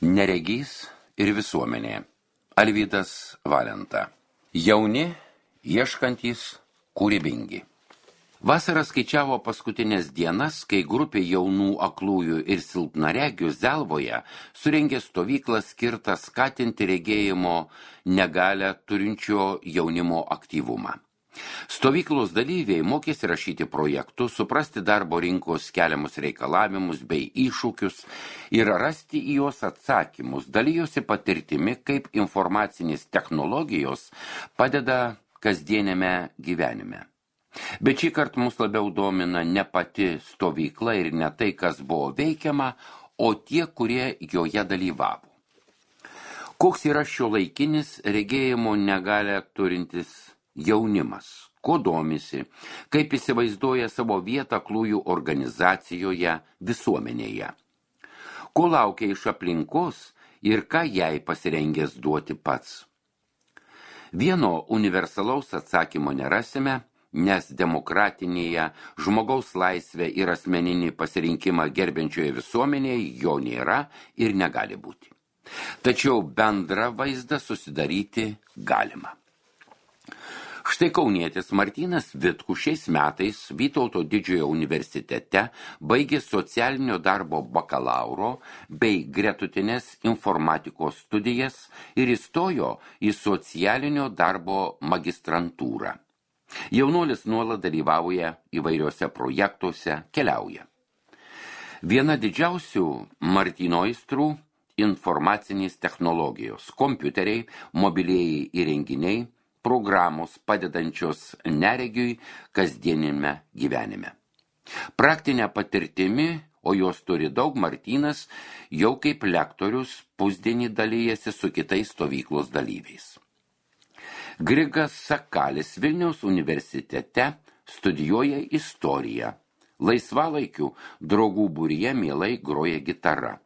Neregys ir visuomenė. Alvydas Valenta. Jauni, ieškantys, kūrybingi. Vasara skaičiavo paskutinės dienas, kai grupė jaunų aklųjų ir silpnaregių Zelvoje surengė stovyklą skirtą skatinti regėjimo negalią turinčio jaunimo aktyvumą. Stovyklos dalyviai mokėsi rašyti projektus, suprasti darbo rinkos keliamus reikalavimus bei iššūkius ir rasti į juos atsakymus, dalijosi patirtimi, kaip informacinės technologijos padeda kasdieniame gyvenime. Bet šį kartą mus labiau domina ne pati stovykla ir ne tai, kas buvo veikiama, o tie, kurie joje dalyvavo. Koks yra šiuolaikinis regėjimo negalią turintis jaunimas, ko domisi, kaip įsivaizduoja savo vietą aklųjų organizacijoje, visuomenėje, ko laukia iš aplinkos ir ką jai pasirengęs duoti pats. Vieno universalaus atsakymo nerasime, nes demokratinėje žmogaus laisvę ir asmeninį pasirinkimą gerbiančioje visuomenėje jo nėra ir negali būti. Tačiau bendrą vaizdą susidaryti galima. Štai kaunietis Martynas Vitkus šiais metais Vytauto Didžiojo universitete baigė socialinio darbo bakalauro bei gretutinės informatikos studijas ir įstojo į socialinio darbo magistrantūrą. Jaunuolis nuolat dalyvauja įvairiuose projektuose, keliauja. Viena didžiausių Martyno aistrų – informacinės technologijos, kompiuteriai, mobilieji įrenginiai, programos padedančios neregiui kasdienime gyvenime. Praktinę patirtimi, o jos turi daug, Martynas jau kaip lektorius pusdienį dalyjasi su kitais stovyklos dalyviais. Grigas Sakalis Vilniaus universitete studijuoja istoriją. Laisvalaikiu draugų būryje mielai groja gitara.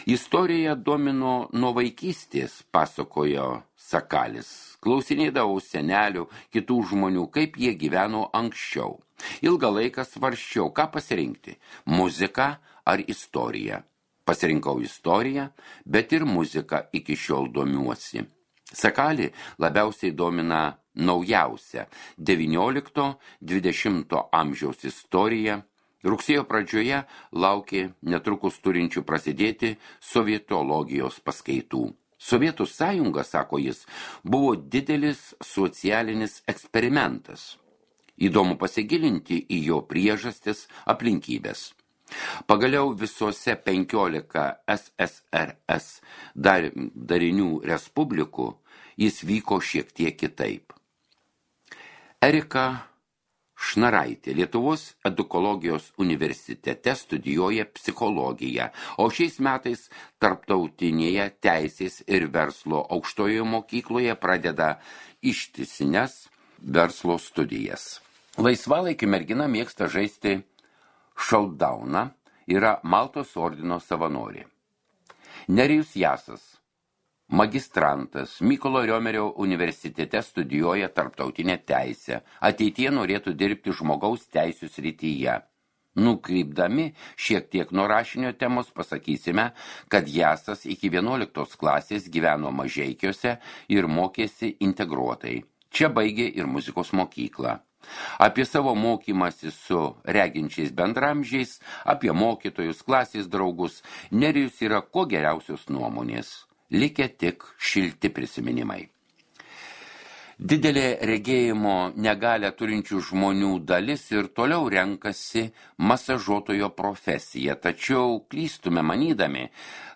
Istorija domino nuo vaikystės, pasakojo Sakalis. Klausinėdavau senelių, kitų žmonių, kaip jie gyveno anksčiau. Ilgą laiką svarsčiau, ką pasirinkti – muziką ar istoriją. Pasirinkau istoriją, bet ir muziką iki šiol domiuosi. Sakalį labiausiai domina naujausia 19–20 amžiaus istorija. Rugsėjo pradžioje laukė netrukus turinčių prasidėti sovietologijos paskaitų. Sovietų sąjunga, sako jis, buvo didelis socialinis eksperimentas. Įdomu pasigilinti į jo priežastis, aplinkybės. Pagaliau visose 15 SSRS darinių respublikų jis vyko šiek tiek kitaip. Erika Šnaraitė Lietuvos edukologijos universitete studijuoja psichologiją, o šiais metais tarptautinėje teisės ir verslo aukštojoje mokykloje pradeda ištisines verslo studijas. Laisvalaikiu mergina mėgsta žaisti šautdauną, yra Maltos ordino savanorė. Nerijus Jasas, magistrantas, Mykolo Riomerio universitete studijuoja tarptautinę teisę, ateityje norėtų dirbti žmogaus teisių srityje. Nukrypdami šiek tiek nuo rašinio temos pasakysime, kad Jasas iki 11 klasės gyveno Mažeikiuose ir mokėsi integruotai. Čia baigė ir muzikos mokyklą. Apie savo mokymąsi su reginčiais bendramžiais, apie mokytojus, klasės draugus, Nerijus yra ko geriausios nuomonės. Likę tik šilti prisiminimai. Didelė regėjimo negalią turinčių žmonių dalis ir toliau renkasi masažuotojo profesiją, tačiau klystume manydami,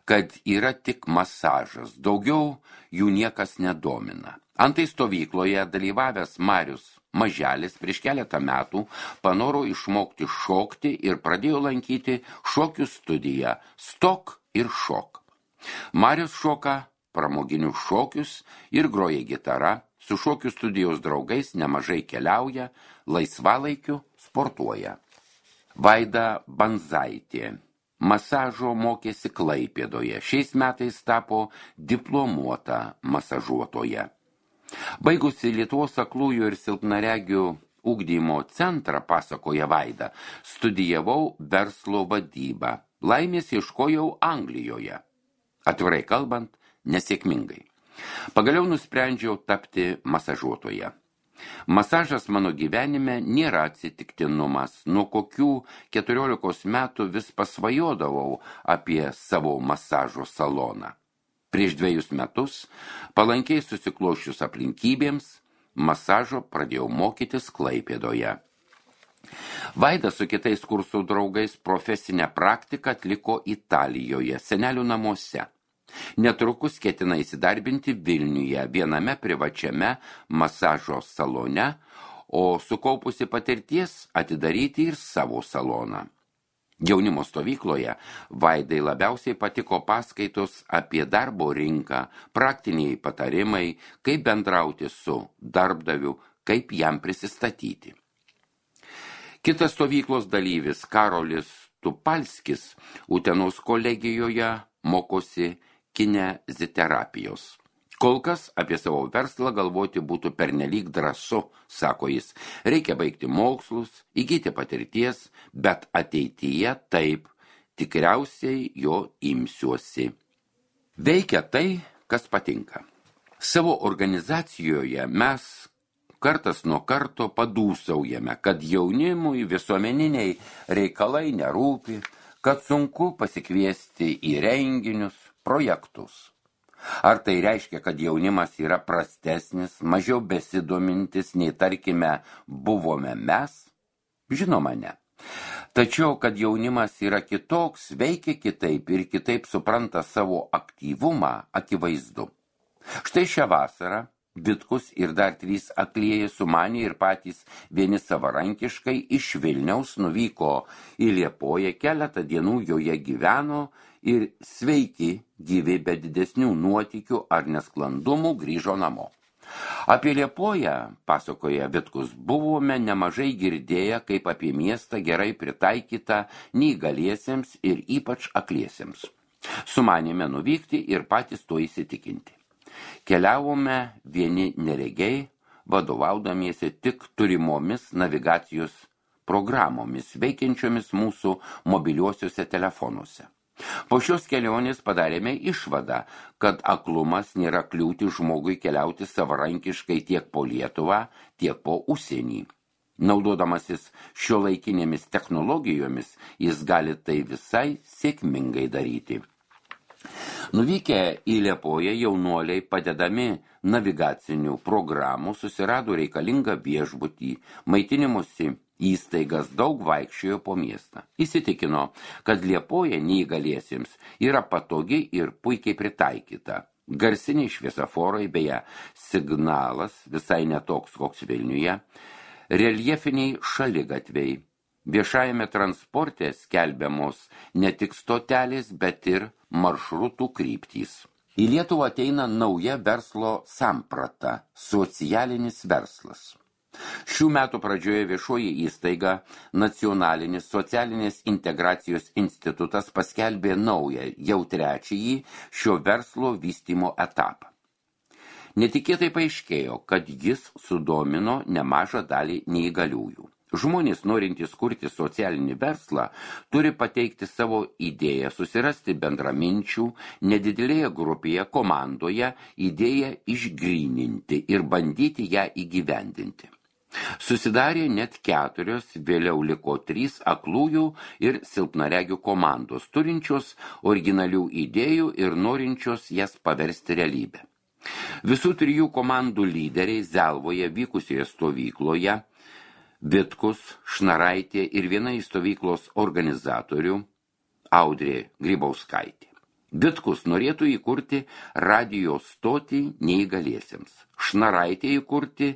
kad yra tik masažas, daugiau jų niekas nedomina. Antai stovykloje dalyvavęs Marius Maželis prieš keletą metų panoro išmokti šokti ir pradėjo lankyti šokių studiją Stok ir šok. Marius šoka pramoginius šokius ir groja gitara, su šokių studijos draugais nemažai keliauja, laisvalaikiu sportuoja. Vaida Banzaitė masažo mokėsi Klaipėdoje, šiais metais tapo diplomuota masažuotoja. Baigusi Lietuvos aklųjų ir silpnaregių ugdymo centrą, pasakoja Vaida, studijavau verslo vadybą. Laimės ieškojau Anglijoje. Atvirai kalbant, nesėkmingai. Pagaliau nusprendžiau tapti masažuotoja. Masažas mano gyvenime nėra atsitiktinumas. Nuo kokių 14 metų vis pasvajodavau apie savo masažo saloną. Prieš 2 metus, palankiai susiklošius aplinkybėms, masažo pradėjau mokytis Klaipėdoje. Vaidas su kitais kursų draugais profesinę praktiką atliko Italijoje, senelių namuose. Netrukus ketina įsidarbinti Vilniuje, viename privačiame masažo salone, o sukaupusi patirties atidaryti ir savo saloną. Jaunimo stovykloje Vaidai labiausiai patiko paskaitos apie darbo rinką, praktiniai patarimai, kaip bendrauti su darbdaviu, kaip jam prisistatyti. Kitas stovyklos dalyvis Karolis Tupalskis Utenos kolegijoje mokosi kineziterapijos. Kol kas apie savo verslą galvoti būtų pernelyg drąsu, sako jis. Reikia baigti mokslus, įgyti patirties, bet ateityje taip, tikriausiai jo imsiuosi. Veikia tai, kas patinka. Savo organizacijoje mes kartas nuo karto padūsaujame, kad jaunimui visuomeniniai reikalai nerūpi, kad sunku pasikviesti į renginius, projektus. Ar tai reiškia, kad jaunimas yra prastesnis, mažiau besidomintis, nei tarkime buvome mes? Žinoma, ne. Tačiau, kad jaunimas yra kitoks, veikia kitaip ir kitaip supranta savo aktyvumą, akivaizdu. Štai šią vasarą Vitkus ir dar 3 aklieji sumanė ir patys vieni savarankiškai iš Vilniaus nuvyko į Liepoją, keletą dienų joje gyveno ir sveiki, gyvi be didesnių nuotykių ar nesklandumų grįžo namo. Apie Liepoją, pasakoja Vitkus, buvome nemažai girdėję kaip apie miestą gerai pritaikytą neįgaliesiems ir ypač akliesiems. Sumanėme nuvykti ir patys to įsitikinti. Keliavome vieni neregiai, vadovaudamiesi tik turimomis navigacijos programomis, veikiančiomis mūsų mobiliuosiuose telefonuose. Po šios kelionės padarėme išvadą, kad aklumas nėra kliūti žmogui keliauti savarankiškai tiek po Lietuvą, tiek po užsienį. Naudodamasis šiuolaikinėmis technologijomis, jis gali tai visai sėkmingai daryti. Nuvykę į Liepoją jaunuoliai padedami navigacinių programų susirado reikalingą viešbutį, maitinimosi įstaigas, daug vaikščiojo po miestą. Įsitikino, kad Liepoja neįgaliesiems yra patogi ir puikiai pritaikyta. Garsiniai šviesoforai, beje, signalas visai netoks koks Vilniuje, reljefiniai šaligatviai. Viešajame transporte skelbiamos ne tik stotelės, bet ir maršrutų kryptys. Į Lietuvą ateina nauja verslo samprata – socialinis verslas. Šių metų pradžioje viešoji įstaiga Nacionalinis socialinės integracijos institutas paskelbė naują, jau 3. šio verslo vystymo etapą. Netikėtai paaiškėjo, kad jis sudomino nemažą dalį neįgaliųjų. Žmonės, norintys kurti socialinį verslą, turi pateikti savo idėją, susirasti bendraminčių, nedidelėje grupėje, komandoje, idėją išgryninti ir bandyti ją įgyvendinti. Susidarė net 4, vėliau liko 3 aklųjų ir silpnaregių komandos, turinčios originalių idėjų ir norinčios jas paversti realybę. Visų 3 komandų lyderiai Zelvoje vykusioje stovykloje Vitkus, Šnaraitė ir viena iš stovyklos organizatorių Audrė Grybauskaitė. Vitkus norėtų įkurti radijo stotį neįgaliesiems, Šnaraitė įkurti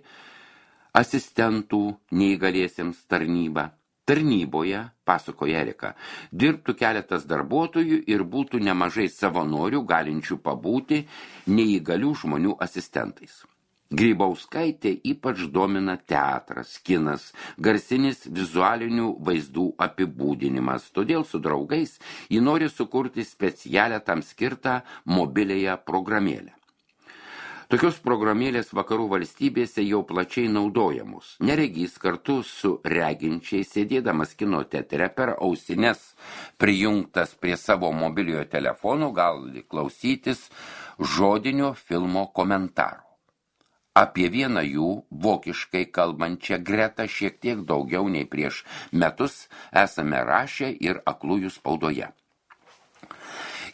asistentų neįgaliesiems tarnybą. Tarnyboje, pasakoja Erika, dirbtų keletas darbuotojų ir būtų nemažai savanorių galinčių pabūti neįgalių žmonių asistentais. Grybauskaitė ypač domina teatras, kinas, garsinis vizualinių vaizdų apibūdinimas, todėl su draugais ji nori sukurti specialią tam skirtą mobiliąją programėlę. Tokios programėlės vakarų valstybėse jau plačiai naudojamos. Neregys kartu su reginčiai, sėdėdamas kino teatre per ausines prijungtas prie savo mobiliojo telefono, gali klausytis žodinio filmo komentarų. Apie vieną jų, vokiškai kalbančią Gretą, šiek tiek daugiau nei prieš metus esame rašę ir aklųjų spaudoje.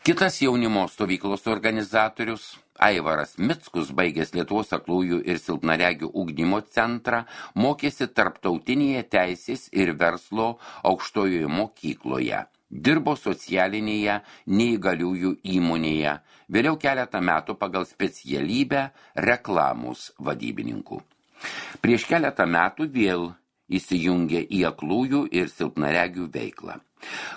Kitas jaunimo stovyklos organizatorius, Aivaras Mickus, baigęs Lietuvos aklųjų ir silpnaregių ugdymo centrą, mokėsi tarptautinėje teisės ir verslo aukštojoje mokykloje. Dirbo socialinėje neįgaliųjų įmonėje, vėliau keletą metų pagal specialybę reklamos vadybininkų. Prieš keletą metų vėl įsijungė į aklųjų ir silpnaregių veiklą.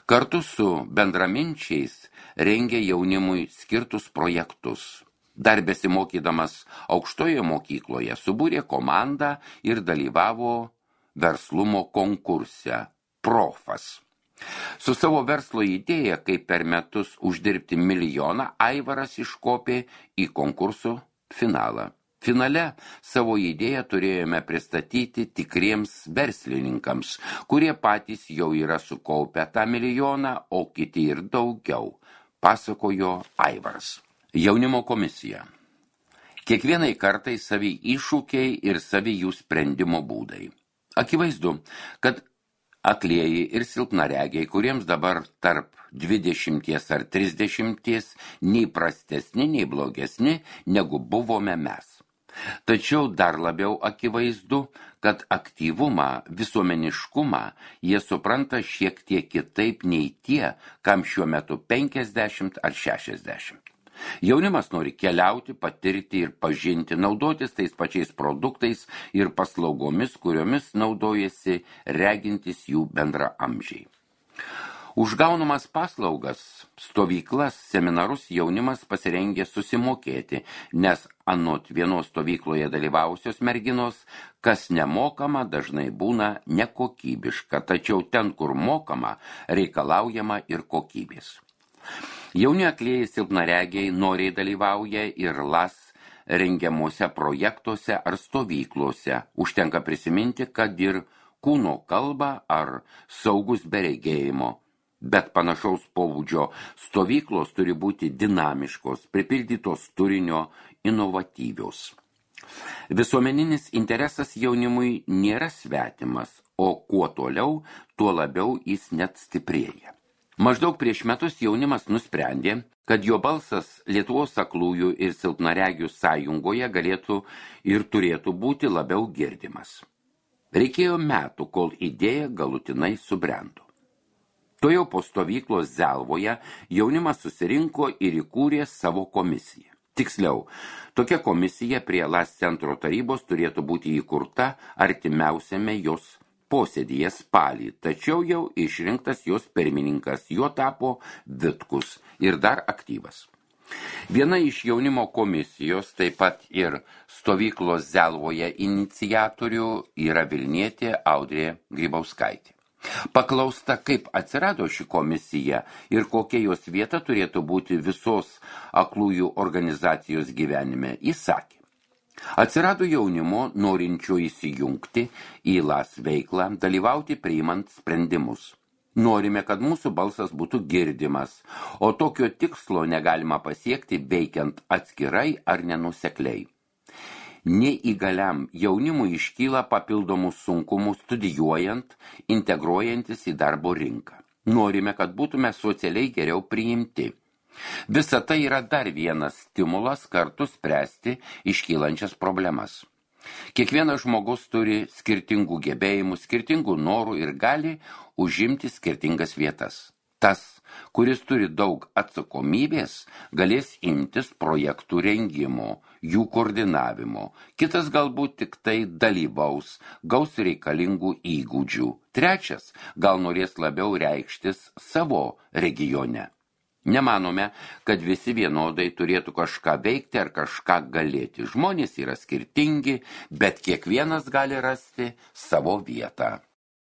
Kartu su bendraminčiais rengė jaunimui skirtus projektus. Dar besimokydamas aukštoje mokykloje subūrė komandą ir dalyvavo verslumo konkurse Profas. Su savo verslo idėja, kaip per metus uždirbti milijoną, Aivaras iškopė į konkurso finalą. Finale savo idėją turėjome pristatyti tikriems verslininkams, kurie patys jau yra sukaupę tą milijoną, o kiti ir daugiau, pasakojo Aivaras. Jaunimo komisija. Kiekvienai kartai savi iššūkiai ir savi jų sprendimo būdai. Akivaizdu, kad aklieji ir silpnaregiai, kuriems dabar tarp 20 ar 30, nei prastesni, nei blogesni, negu buvome mes. Tačiau dar labiau akivaizdu, kad aktyvumą, visuomeniškumą jie supranta šiek tiek kitaip nei tie, kam šiuo metu 50 ar 60. Jaunimas nori keliauti, patirti ir pažinti, naudotis tais pačiais produktais ir paslaugomis, kuriomis naudojasi regintis jų bendraamžiai. Už gaunamas paslaugas, stovyklas, seminarus jaunimas pasirengė susimokėti, nes anot vienos stovykloje dalyvavusios merginos, kas nemokama, dažnai būna nekokybiška, tačiau ten, kur mokama, reikalaujama ir kokybės. Jauni aklieji silpnaregiai noriai dalyvauja ir LAS rengiamuose projektuose ar stovyklose. Užtenka prisiminti, kad ir kūno kalba ar saugus be regėjimo. Bet panašaus pobūdžio stovyklos turi būti dinamiškos, pripildytos turinio, inovatyvios. Visuomeninis interesas jaunimui nėra svetimas, o kuo toliau, tuo labiau jis net stiprėja. Maždaug prieš metus jaunimas nusprendė, kad jo balsas Lietuvos aklųjų ir silpnaregių sąjungoje galėtų ir turėtų būti labiau girdimas. Reikėjo metų, kol idėja galutinai subrendo. Tuojau po stovyklos Zelvoje jaunimas susirinko ir įkūrė savo komisiją. Tiksliau, tokia komisija prie LAS centro tarybos turėtų būti įkurta artimiausiame jos posėdyje spalį, tačiau jau išrinktas jos pirmininkas, juo tapo Vitkus ir dar aktyvas. Viena iš jaunimo komisijos, taip pat ir stovyklos Zelvoje iniciatorių yra vilnietė Audrė Grybauskaitė. Paklausta, kaip atsirado ši komisija ir kokia jos vieta turėtų būti visos aklųjų organizacijos gyvenime, jis sakė. Atsirado jaunimo norinčio įsijungti į LAS veiklą, dalyvauti priimant sprendimus. Norime, kad mūsų balsas būtų girdimas, o tokio tikslo negalima pasiekti veikiant atskirai ar nenusekliai. Neįgaliam jaunimui iškyla papildomų sunkumų studijuojant, integruojantis į darbo rinką. Norime, kad būtume socialiai geriau priimti. Visa tai yra dar vienas stimulas kartu spręsti iškylančias problemas. Kiekvienas žmogus turi skirtingų gebėjimų, skirtingų norų ir gali užimti skirtingas vietas. Tas, kuris turi daug atsakomybės, galės imtis projektų rengimo, jų koordinavimo. Kitas galbūt tik tai dalyvaus, gaus reikalingų įgūdžių. Trečias gal norės labiau reikštis savo regione. Nemanome, kad visi vienodai turėtų kažką veikti ar kažką galėti. Žmonės yra skirtingi, bet kiekvienas gali rasti savo vietą.